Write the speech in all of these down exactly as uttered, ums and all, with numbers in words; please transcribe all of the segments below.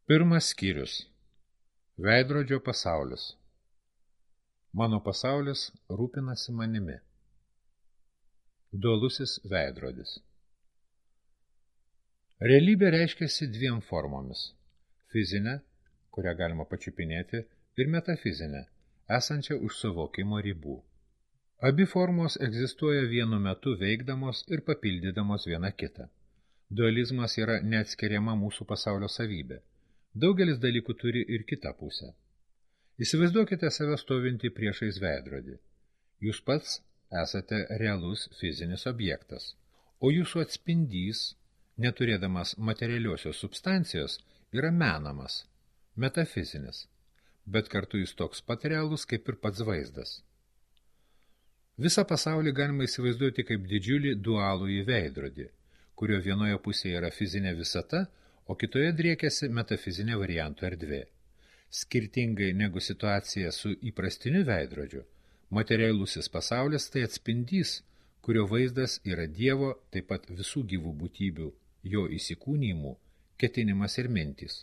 Pirmas skyrius. Veidrodžio pasaulis. Mano pasaulis rūpinasi manimi. Dualusis veidrodis. Realybė reiškiasi dviem formomis. Fizinė, kurią galima pačiupinėti, ir metafizinė, esančia už suvokimo ribų. Abi formos egzistuoja vienu metu veikdamos ir papildydamos viena kitą. Dualizmas yra neatskiriama mūsų pasaulio savybė. Daugelis dalykų turi ir kitą pusę. Įsivaizduokite save stovintį priešais veidrodį. Jūs pats esate realus fizinis objektas, o jūsų atspindys, neturėdamas materialiosios substancijos, yra menamas, metafizinis, bet kartu jis toks pat realus kaip ir pats vaizdas. Visą pasaulį galima įsivaizduoti kaip didžiulį dualųjį veidrodį, kurio vienoje pusėje yra fizinė visata, o kitoje driekiasi metafizinė variantų erdvė. Skirtingai negu situacija su įprastiniu veidrodžiu, materialusis pasaulis tai atspindys, kurio vaizdas yra Dievo, taip pat visų gyvų būtybių, jo įsikūnijimų, ketinimas ir mintys.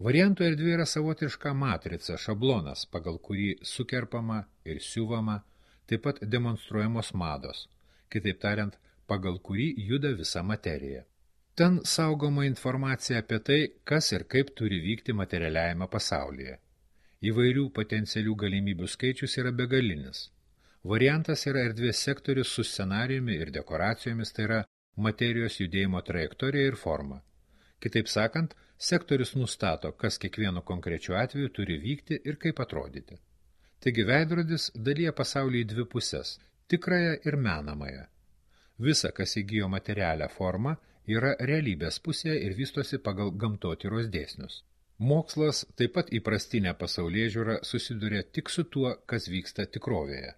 Variantų erdvė yra savotiška matrica, šablonas, pagal kurį sukerpama ir siuvama, taip pat demonstruojamos mados, kitaip tariant, pagal kurį juda visa materija. Ten saugoma informacija apie tai, kas ir kaip turi vykti materialiajame pasaulyje. Įvairių potencialių galimybių skaičius yra begalinis. Variantas yra erdvės sektorius su scenarijumi ir dekoracijomis, tai yra materijos judėjimo trajektorija ir forma. Kitaip sakant, sektorius nustato, kas kiekvienu konkrečiu atveju turi vykti ir kaip atrodyti. Taigi veidrodis dalyja pasaulį į dvi puses – tikrąją ir menamąją. Visa, kas įgijo materialią formą, yra realybės pusėje ir vystosi pagal gamtotyros dėsnius. Mokslas, taip pat įprastinė pasaulėžiūra, susiduria tik su tuo, kas vyksta tikrovėje.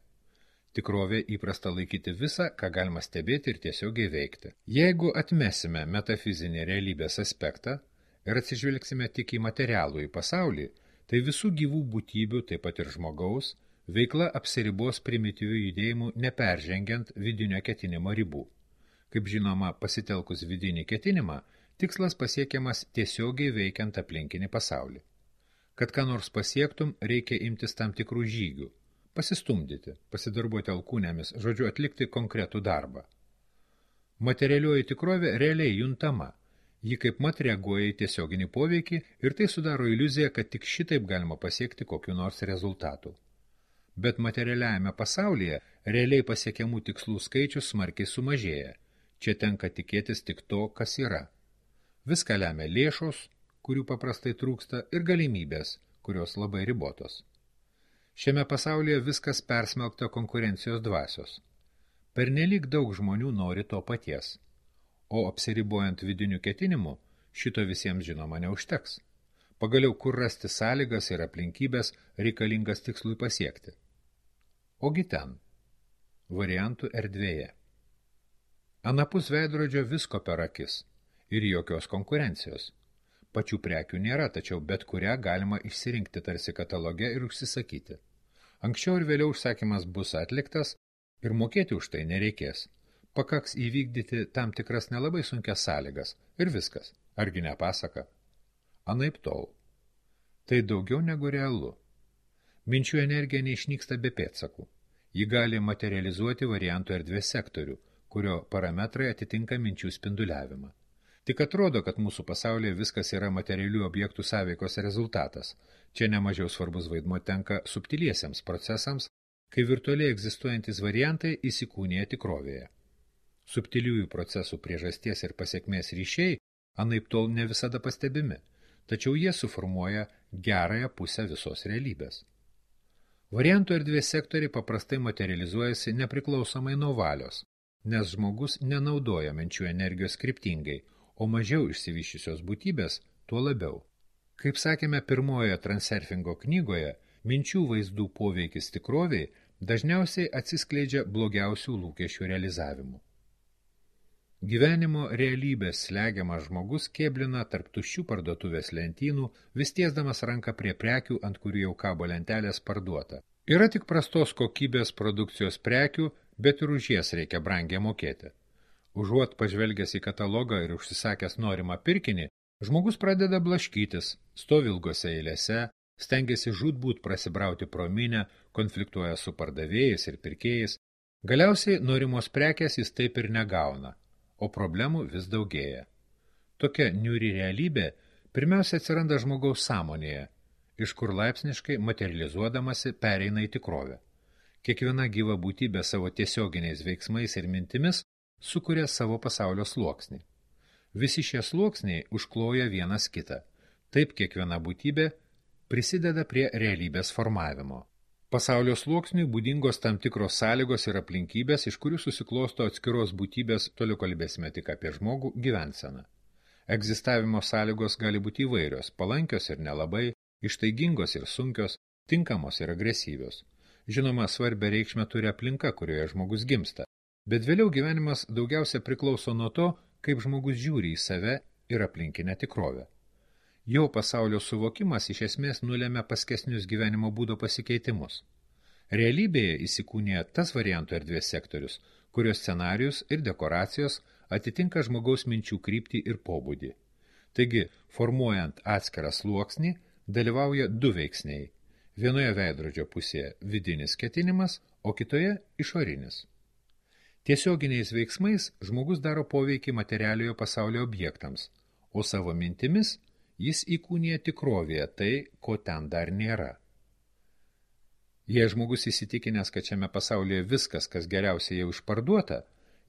Tikrovė įprasta laikyti visą, ką galima stebėti ir tiesiogiai veikti. Jeigu atmesime metafizinį realybės aspektą ir atsižvelgsime tik į materialų į pasaulį, tai visų gyvų būtybių, taip pat ir žmogaus, veikla apsiribos primityvių judėjimų neperžengiant vidinio ketinimo ribų. Kaip žinoma, pasitelkus vidinį ketinimą, tikslas pasiekiamas tiesiogiai veikiant aplinkinį pasaulį. Kad ką nors pasiektum, reikia imtis tam tikrų žygių, pasistumdyti, pasidarbuoti alkūnėmis, žodžiu atlikti konkretų darbą. Materialioji tikrovė realiai juntama, ji kaip mat reaguoja į tiesioginį poveikį ir tai sudaro iliuziją, kad tik šitaip galima pasiekti kokiu nors rezultatų. Bet materialiajame pasaulyje realiai pasiekiamų tikslų skaičius smarkiai sumažėja. Čia tenka tikėtis tik to, kas yra. Viską lemia lėšos, kurių paprastai trūksta, ir galimybės, kurios labai ribotos. Šiame pasaulyje viskas persmelkta konkurencijos dvasios. Pernelyg daug žmonių nori to paties, o apsiribojant vidiniu ketinimu, šito visiems žinoma neužteks. Pagaliau, kur rasti sąlygas ir aplinkybės reikalingas tikslui pasiekti. Ogi ten, variantų erdvėje. Anapus veidrodžio visko per akis ir jokios konkurencijos. Pačių prekių nėra, tačiau bet kurią galima išsirinkti tarsi kataloge ir užsisakyti. Anksčiau ir vėliau užsakymas bus atliktas ir mokėti už tai nereikės. Pakaks įvykdyti tam tikras nelabai sunkias sąlygas ir viskas. Argi ne pasaka? Anaip tol. Tai daugiau negu realu. Minčių energija neišnyksta be pėdsakų. Ji gali materializuoti variantų erdvės sektorių, kurio parametrai atitinka minčių spinduliavimą. Tik atrodo, kad mūsų pasaulyje viskas yra materialių objektų sąveikos rezultatas. Čia nemažiau svarbus vaidmuo tenka subtiliesiems procesams, kai virtualiai egzistuojantis variantai įsikūnija tikrovėje. Subtiliųjų procesų priežasties ir pasekmės ryšiai anaip tol ne visada pastebimi, tačiau jie suformuoja gerąją pusę visos realybės. Variantų erdvės sektoriai paprastai materializuojasi nepriklausomai nuo valios, nes žmogus nenaudoja minčių energijos kryptingai, o mažiau išsivyščiusios būtybės tuo labiau. Kaip sakėme pirmojoje Transurfingo knygoje, minčių vaizdų poveikis tikroviai dažniausiai atsiskleidžia blogiausių lūkesčių realizavimu. Gyvenimo realybės slegiamas žmogus kėblina tarp tuščių parduotuvės lentynų, vis tiesdamas ranką prie prekių, ant kurių jau kabo lentelės parduota. Yra tik prastos kokybės produkcijos prekių, bet ir už jas reikia brangiai mokėti. Užuot pažvelgęs į katalogą ir užsisakęs norimą pirkinį, Žmogus pradeda blaškytis, stovi ilgose eilėse, stengiasi žūtbūt prasibrauti pro minę, konfliktuoja su pardavėjais ir pirkėjais, galiausiai norimos prekės jis taip ir negauna, o problemų vis daugėja. Tokia niūri realybė pirmiausia atsiranda žmogaus sąmonėje, iš kur laipsniškai materializuodamasi pereina į tikrovę. Kiekviena gyva būtybė savo tiesioginiais veiksmais ir mintimis sukuria savo pasaulio sluoksnį. Visi šie sluoksniai užkloja vienas kitą. Taip kiekviena būtybė prisideda prie realybės formavimo. Pasaulio sluoksniui būdingos tam tikros sąlygos ir aplinkybės, iš kurių susiklosto atskiros būtybės, toliau kalbėsime tik apie žmogų, gyvenseną. Egzistavimo sąlygos gali būti įvairios, palankios ir nelabai, ištaigingos ir sunkios, tinkamos ir agresyvios. Žinoma, svarbia reikšmė turi aplinka, kurioje žmogus gimsta, bet vėliau gyvenimas daugiausia priklauso nuo to, kaip žmogus žiūri į save ir aplinkinę tikrovę. Jo pasaulio suvokimas iš esmės nulėmė paskesnius gyvenimo būdo pasikeitimus. Realybėje įsikūnija tas variantų erdvės sektorius, kurios scenarijus ir dekoracijos atitinka žmogaus minčių kryptį ir pobūdį. Taigi, formuojant atskirą sluoksnį, dalyvauja du veiksniai. Vienoje veidrodžio pusėje vidinis ketinimas, o kitoje išorinis. Tiesioginiais veiksmais žmogus daro poveikį materialiojo pasaulio objektams, o savo mintimis jis įkūnija tikrovėje tai, ko ten dar nėra. Jei žmogus įsitikinęs, kad šiame pasaulyje viskas, kas geriausia jau išparduota,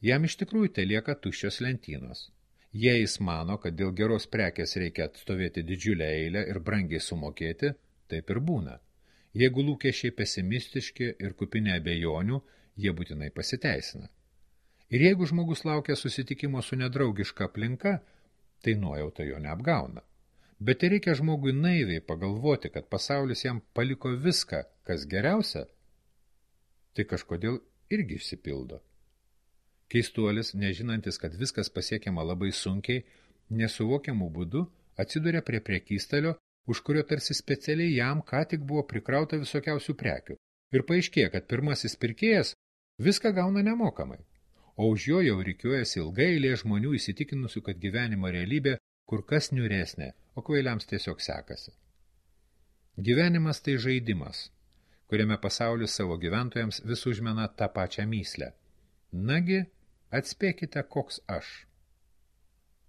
jam iš tikrųjų tai lieka tuščios lentynos. Jei jis mano, kad dėl geros prekės reikia atstovėti didžiulę eilę ir brangiai sumokėti, taip ir būna. Jeigu lūkesčiai pesimistiški ir kupini abejonių, jie būtinai pasiteisina. Ir jeigu žmogus laukia susitikimo su nedraugiška aplinka, tai nuojauta jo neapgauna. Bet tai reikia žmogui naiviai pagalvoti, kad pasaulis jam paliko viską, kas geriausia, tai kažkodėl irgi išsipildo. Keistuolis, nežinantis, kad viskas pasiekiama labai sunkiai, nesuvokiamų būdų, atsiduria prie prekystalio, už kurio tarsi specialiai jam ką tik buvo prikrauta visokiausių prekių. Ir paaiškėja, kad pirmasis pirkėjas viską gauna nemokamai, o už jo jau rikiuojasi ilgai eilė žmonių įsitikinusių, kad gyvenimo realybė kur kas niūresnė, o kvailiams tiesiog sekasi. Gyvenimas tai žaidimas, kuriame pasaulis savo gyventojams vis užmena tą pačią myslę. Nagi, atspėkite, koks aš.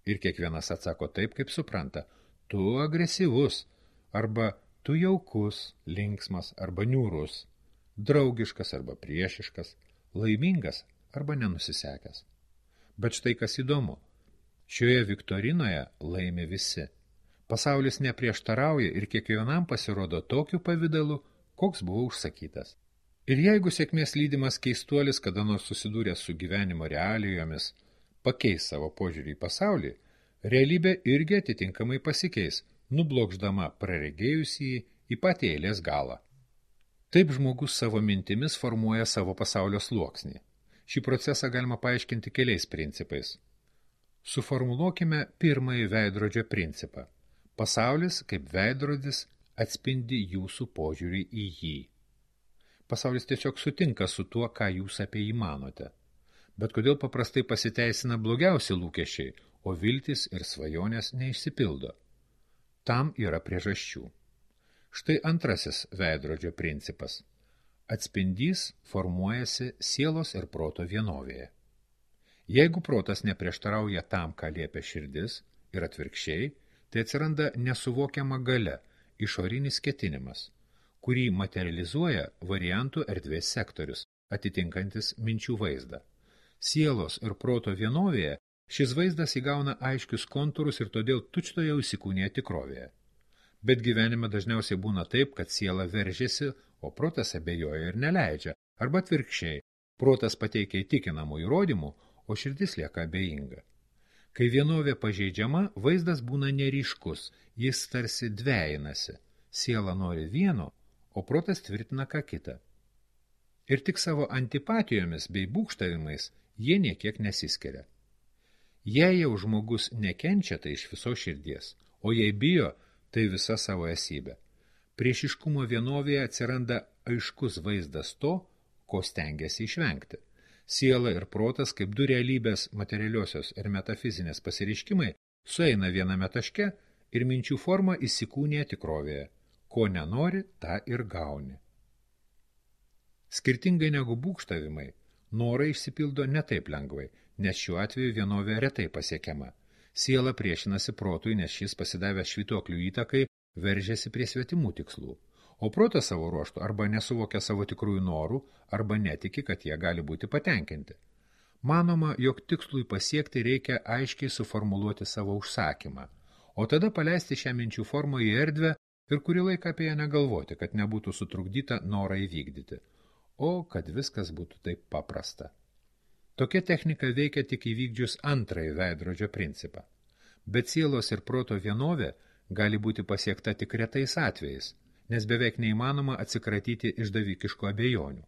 Ir kiekvienas atsako taip, kaip supranta. Tu agresyvus, arba tu jaukus, linksmas arba niūrus, draugiškas arba priešiškas, laimingas arba nenusisekęs. Bet štai kas įdomu. Šioje viktorinoje laimi visi. Pasaulis neprieštarauja ir kiekvienam pasirodo tokiu pavidalu, koks buvo užsakytas. Ir jeigu sėkmės lydimas keistuolis kada nors susidūręs su gyvenimo realijomis, pakeis savo požiūrį į pasaulį, realybė irgi atitinkamai pasikeis, nublokšdama praregėjusį į patį eilės galą. Taip žmogus savo mintimis formuoja savo pasaulio sluoksnį. Šį procesą galima paaiškinti keliais principais. Suformuluokime pirmąjį veidrodžio principą. Pasaulis, kaip veidrodis, atspindi jūsų požiūrį į jį. Pasaulis tiesiog sutinka su tuo, ką jūs apie jį manote. Bet kodėl paprastai pasiteisina blogiausi lūkesčiai, o viltis ir svajonės neišsipildo? Tam yra priežasčių. Štai antrasis veidrodžio principas. Atspindys formuojasi sielos ir proto vienovėje. Jeigu protas neprieštarauja tam, ką liepia širdis, ir atvirkščiai, tai atsiranda nesuvokiama galia, išorinis ketinimas, kurį materializuoja variantų erdvės sektorius, atitinkantis minčių vaizdą. Sielos ir proto vienovėje šis vaizdas įgauna aiškius kontūrus ir todėl tučtuojau įsikūnija tikrovėje. Bet gyvenime dažniausiai būna taip, kad siela veržiasi, o protas abejoja ir neleidžia, arba atvirkščiai, protas pateikia įtikinamų įrodymų, o širdis lieka abejinga. Kai vienovė pažeidžiama, vaizdas būna neryškus, jis tarsi dvejinasi, siela nori vieno, o protas tvirtina ką kitą. Ir tik savo antipatijomis bei būgštavimais jie niekiek nesiskiria. Jei jau žmogus nekenčia, tai iš viso širdies, o jei bijo, tai visa savo esybė. Priešiškumo vienovėje atsiranda aiškus vaizdas to, ko stengiasi išvengti. Siela ir protas, kaip du realybės materialiosios ir metafizinės pasireiškimai, sueina viename taške ir minčių forma įsikūnija tikrovėje. Ko nenori, tą ir gauni. Skirtingai negu būgštavimai, norai išsipildo ne taip lengvai, nes šiuo atveju vienovė retai pasiekiama. Siela priešinasi protui, nes šis pasidavęs švytuoklių įtakai veržiasi prie svetimų tikslų. O protas savo ruoštų arba nesuvokia savo tikrųjų norų, arba netiki, kad jie gali būti patenkinti. Manoma, jog tikslui pasiekti reikia aiškiai suformuluoti savo užsakymą, o tada paleisti šią minčių formą į erdvę ir kurį laiką apie ją negalvoti, kad nebūtų sutrukdyta norą įvykdyti. O kad viskas būtų taip paprasta. Tokia technika veikia tik įvykdžius antrąjį veidrodžio principą. Bet sielos ir proto vienovė gali būti pasiekta tik retais atvejais, nes beveik neįmanoma atsikratyti išdavikiškų abejonių.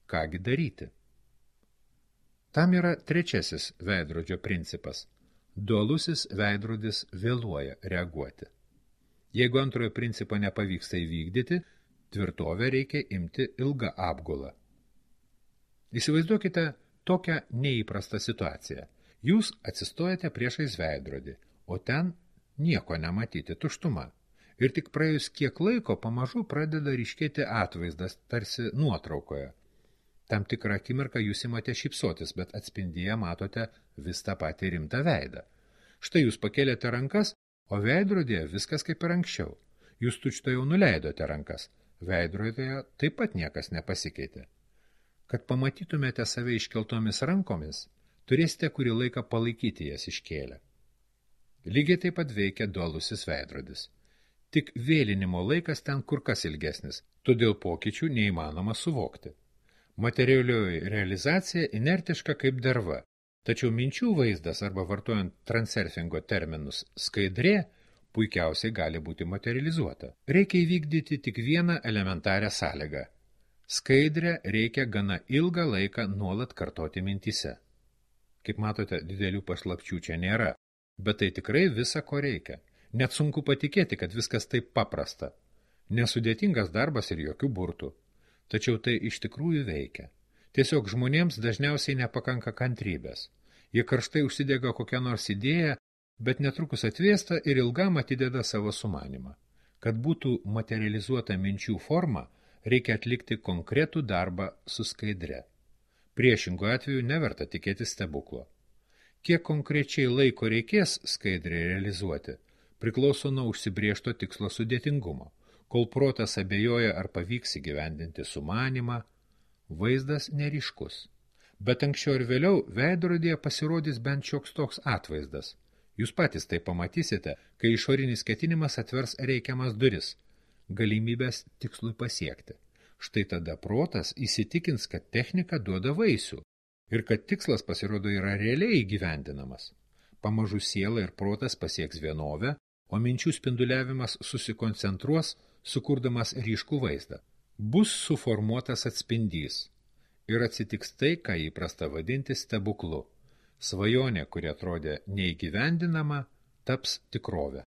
Kągi daryti? Tam yra trečiasis veidrodžio principas. Dualusis veidrodis vėluoja reaguoti. Jeigu antrojo principo nepavyksta įvykdyti, tvirtovę reikia imti ilgą apgulą. Įsivaizduokite tokią neįprastą situaciją. Jūs atsistojate priešais veidrodį, o ten nieko nematyti, tuštuma. Ir tik praėjus kiek laiko pamažu pradeda ryškėti atvaizdas, tarsi nuotraukoje. Tam tikrą akimirką jūs imate šypsotis, bet atspindyje matote vis tą patį rimtą veidą. Štai jūs pakėlėte rankas, o veidrodėje viskas kaip ir anksčiau. Jūs tučtuojau nuleidote rankas. Veidrodėje taip pat niekas nepasikeitė. Kad pamatytumėte save iškeltomis rankomis, turėsite kurį laiką palaikyti jas iškėlę. Lygiai taip pat veikia dualusis veidrodis. Tik vėlinimo laikas ten kur kas ilgesnis, todėl pokyčių neįmanoma suvokti. Materialioji realizacija inertiška kaip derva, tačiau minčių vaizdas arba vartojant transurfingo terminus skaidrė puikiausiai gali būti materializuota. Reikia įvykdyti tik vieną elementarią sąlygą. Skaidrę reikia gana ilgą laiką nuolat kartoti mintyse. Kaip matote, didelių paslapčių čia nėra, bet tai tikrai visa, ko reikia. Net sunku patikėti, kad viskas taip paprasta. Nesudėtingas darbas ir jokių burtų. Tačiau tai iš tikrųjų veikia. Tiesiog žmonėms dažniausiai nepakanka kantrybės. Jie karštai užsidega kokią nors idėją, bet netrukus atvėsta ir ilgam atideda savo sumanimą. Kad būtų materializuota minčių forma, reikia atlikti konkretų darbą su skaidre. Priešingu atveju neverta tikėti stebuklo. Kiek konkrečiai laiko reikės skaidrę realizuoti, priklauso nuo užsibriežto tikslo sudėtingumo. Kol protas abejoja, ar pavyks įgyvendinti sumanimą, vaizdas neryškus. Bet anksčiau ir vėliau veidrodėje pasirodys bent šioks toks atvaizdas. Jūs patys tai pamatysite, kai išorinis ketinimas atvers reikiamas duris, galimybės tikslui pasiekti. Štai tada protas įsitikins, kad technika duoda vaisių ir kad tikslas pasirodo yra realiai įgyvendinamas. Pamažu siela ir protas pasieks vienovę, o minčių spinduliavimas susikoncentruos, sukurdamas ryškų vaizdą. Bus suformuotas atspindys ir atsitiks tai, ką įprasta vadinti stebuklu. Svajonė, kuri atrodė neįgyvendinama, taps tikrove.